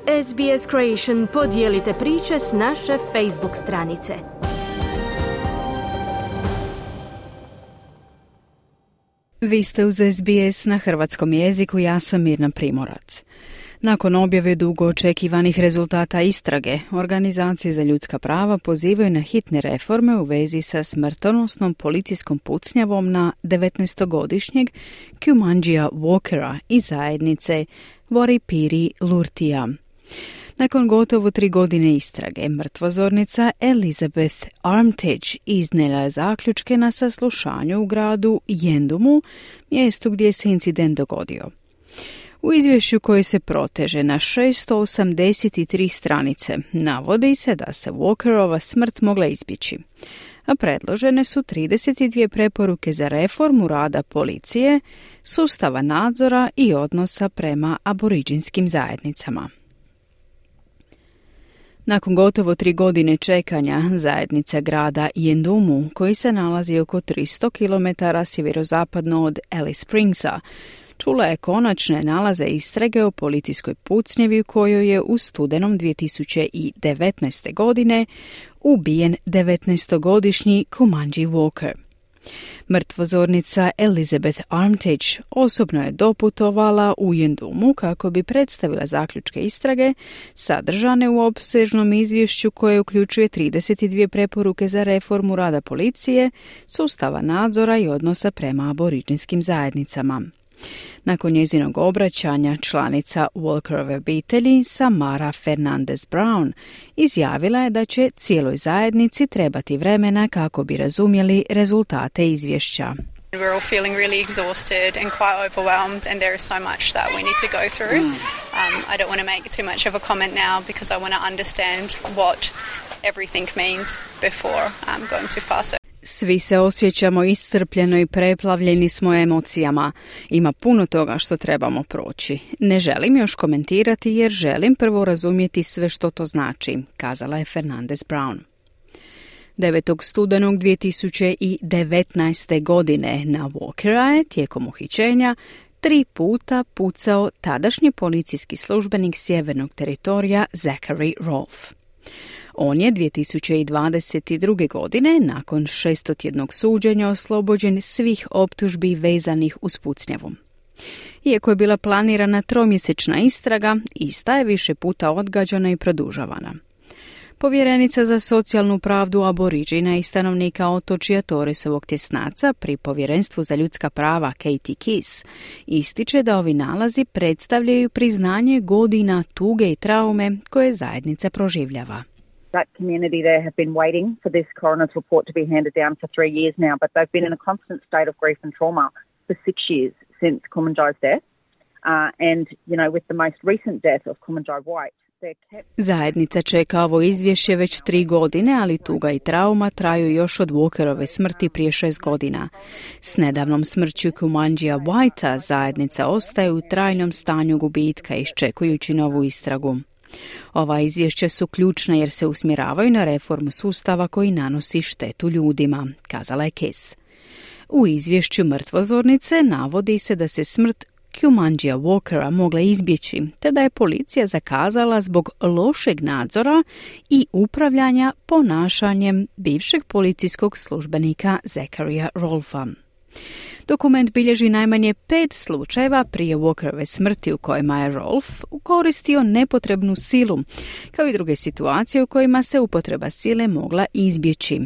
SBS Creation podijelite priče s naše Facebook stranice. Vi ste uz SBS na hrvatskom jeziku, ja sam Mirna Primorac. Nakon objave dugo očekivanih rezultata istrage, organizacije za ljudska prava pozivaju na hitne reforme u vezi sa smrtonosnom policijskom pucnjavom na 19-godišnjeg Kumanjia Walkera iz zajednice Waripiri Lurtija. Nakon gotovo 3 godine istrage, mrtvozornica Elizabeth Armitage iznijela je zaključke na saslušanju u gradu Yendumu, mjestu gdje se incident dogodio. U izvješću koje se proteže na 683 stranice navodi se da se Walkerova smrt mogla izbjeći, a predložene su 32 preporuke za reformu rada policije, sustava nadzora i odnosa prema aboriđinskim zajednicama. Nakon gotovo 3 godine čekanja, zajednica grada Yendumu, koji se nalazi oko 300 km sjeverozapadno od Alice Springsa, čula je konačne nalaze istrage o policijskoj pucnjevi u kojoj je u studenom 2019. godine ubijen 19-godišnji Kumanjia Walker. Mrtvozornica Elizabeth Armitage osobno je doputovala u Yendumu kako bi predstavila zaključke istrage sadržane u opsežnom izvješću koje uključuje 32 preporuke za reformu rada policije, sustava nadzora i odnosa prema aboriđinskim zajednicama. Nakon njezinog obraćanja, članica Walkerove obitelji Samara Fernandez Brown izjavila je da će cijeloj zajednici trebati vremena kako bi razumjeli rezultate izvješća. We're all feeling really exhausted and quite overwhelmed, and there is so much that we need to go through. I don't want to make too much of a comment now because I want to understand what everything means before going too far. Svi se osjećamo iscrpljeno i preplavljeni smo emocijama. Ima puno toga što trebamo proći. Ne želim još komentirati jer želim prvo razumjeti sve što to znači, kazala je Fernandez Brown. 9. studenog 2019. godine na Walkera je tijekom uhićenja 3 puta pucao tadašnji policijski službenik sjevernog teritorija Zachary Rolfe. On je 2022. godine, nakon 600-tjednog suđenja, oslobođen svih optužbi vezanih uz pucnjavu. Iako je bila planirana 3-mjesečna istraga, ista je više puta odgađana i produžavana. Povjerenica za socijalnu pravdu aboriđina i stanovnika otočja Torresovog tjesnaca pri Povjerenstvu za ljudska prava Katie Kiss ističe da ovi nalazi predstavljaju priznanje godina tuge i traume koje zajednica proživljava. That community there have been waiting for this coroner's report to be handed down for 3 years now, but they've been in a constant state of grief and trauma for 6 years since Kumanjai's death. And, you know, with the most recent death of Kumanjai White, zajednica čeka ovo izvješće već 3 godine, ali tuga i trauma traju još od Walkerove smrti prije 6 godina. S nedavnom smrću Kumanjia Whitea zajednica ostaje u trajnom stanju gubitka iščekujući novu istragu. Ova izvješća su ključna jer se usmjeravaju na reformu sustava koji nanosi štetu ljudima, kazala je Kiss. U izvješću mrtvozornice navodi se da se smrt Kumanjia Walkera mogla izbjeći, te da je policija zakazala zbog lošeg nadzora i upravljanja ponašanjem bivšeg policijskog službenika Zacharya Rolfea. Dokument bilježi najmanje 5 slučajeva prije Walkerove smrti u kojima je Rolfe koristio nepotrebnu silu, kao i druge situacije u kojima se upotreba sile mogla izbjeći.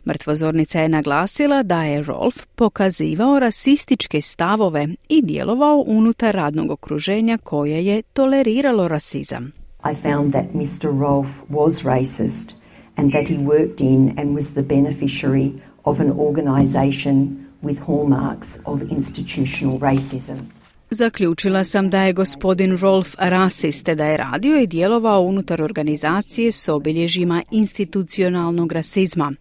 Mrtvozornica je naglasila da je Rolfe pokazivao rasističke stavove i djelovao unutar radnog okruženja koje je toleriralo rasizam. I found that Mr. Rolfe was racist and that he worked in and was the beneficiary of an organization with hallmarks of institutional racism. Zaključila sam da je gospodin Rolfe rasist, te da je radio i djelovao unutar organizacije s obilježjima institucionalnog rasizma.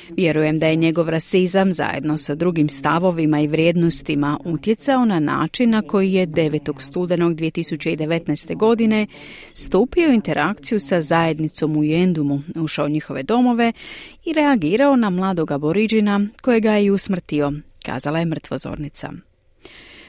Vjerujem da je njegov rasizam zajedno sa drugim stavovima i vrijednostima utjecao na način na koji je 9. studenog 2019. godine stupio u interakciju sa zajednicom u Yendumu, ušao u njihove domove i reagirao na mladog aboriđina kojega je i usmrtio, kazala je mrtvozornica.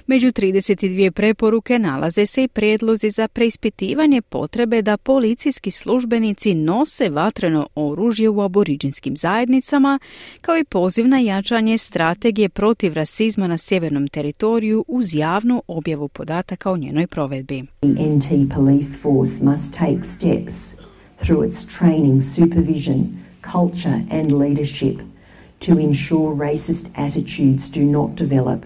Među 32 preporuke nalaze se i prijedlozi za preispitivanje potrebe da policijski službenici nose vatreno oružje u aboriđinskim zajednicama, kao i poziv na jačanje strategije protiv rasizma na sjevernom teritoriju uz javnu objavu podataka o njenoj provedbi. The NT Police Force must take steps through its training, supervision, culture and leadership to ensure racist attitudes do not develop.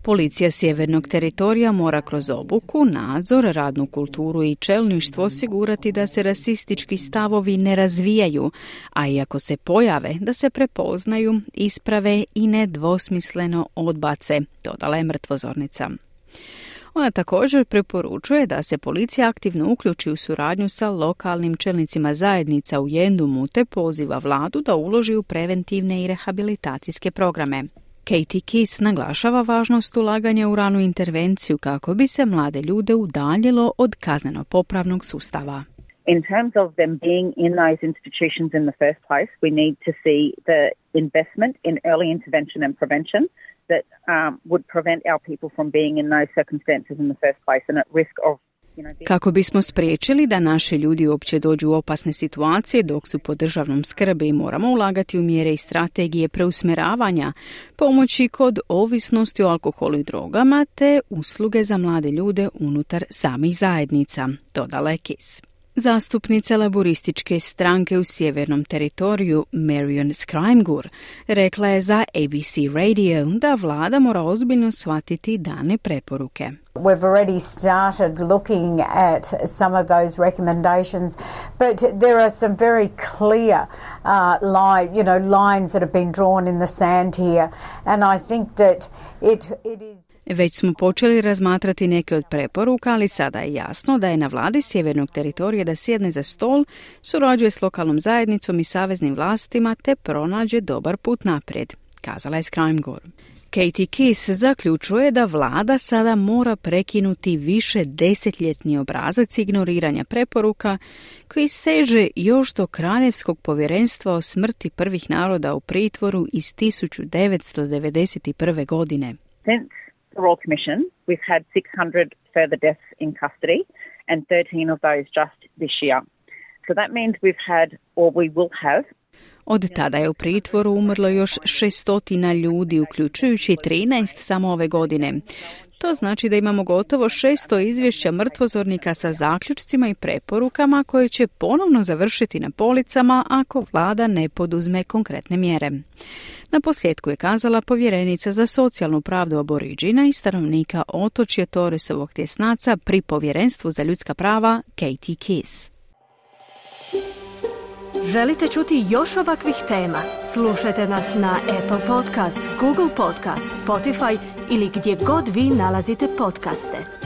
Policija sjevernog teritorija mora kroz obuku, nadzor, radnu kulturu i čelništvo osigurati da se rasistički stavovi ne razvijaju, a i ako se pojave, da se prepoznaju, isprave i nedvosmisleno odbace, dodala je mrtvozornica. Ona također preporučuje da se policija aktivno uključi u suradnju sa lokalnim čelnicima zajednica u Yendumu te poziva vladu da uloži u preventivne i rehabilitacijske programe. Katie Kiss naglašava važnost ulaganja u ranu intervenciju kako bi se mlade ljude udaljilo od kazneno-popravnog sustava. In terms of them being in those institutions in the first place, we need to see the investment in early intervention and prevention that would prevent our people from being in those circumstances in the first place and at risk of. Kako bismo spriječili da naši ljudi uopće dođu u opasne situacije dok su pod državnom skrbi, moramo ulagati u mjere i strategije preusmjeravanja, pomoći kod ovisnosti o alkoholu i drogama te usluge za mlade ljude unutar samih zajednica, dodala je Kiss. Zastupnica laborističke stranke u sjevernom teritoriju Marion Scrimegur rekla je za ABC Radio da vlada mora ozbiljno shvatiti dane preporuke. We've already started looking at some of those recommendations, but there are some very clear lines that have been drawn in the sand here, and I think that it is. Već smo počeli razmatrati neke od preporuka, ali sada je jasno da je na vladi sjevernog teritorija da sjedne za stol, surađuje s lokalnom zajednicom i saveznim vlastima te pronađe dobar put naprijed, kazala je Scrimegur. Katie Kiss zaključuje da vlada sada mora prekinuti više desetljetni obrazac ignoriranja preporuka koji seže još do Kraljevskog povjerenstva o smrti prvih naroda u pritvoru iz 1991. godine. Since the Royal Commission, we've had 600 further deaths in custody and 13 of those just this year. So that means we've had, or we will have. Od tada je u pritvoru umrlo još 600 ljudi, uključujući 13 samo ove godine. To znači da imamo gotovo 600 izvješća mrtvozornika sa zaključcima i preporukama koje će ponovno završiti na policama ako vlada ne poduzme konkretne mjere. Na posljedku je kazala povjerenica za socijalnu pravdu Aboriđina i stanovnika otočja Torresovog tjesnaca pri Povjerenstvu za ljudska prava Katie Kiss. Želite čuti još ovakvih tema? Slušajte nas na Apple Podcast, Google Podcast, Spotify ili gdje god vi nalazite podcaste.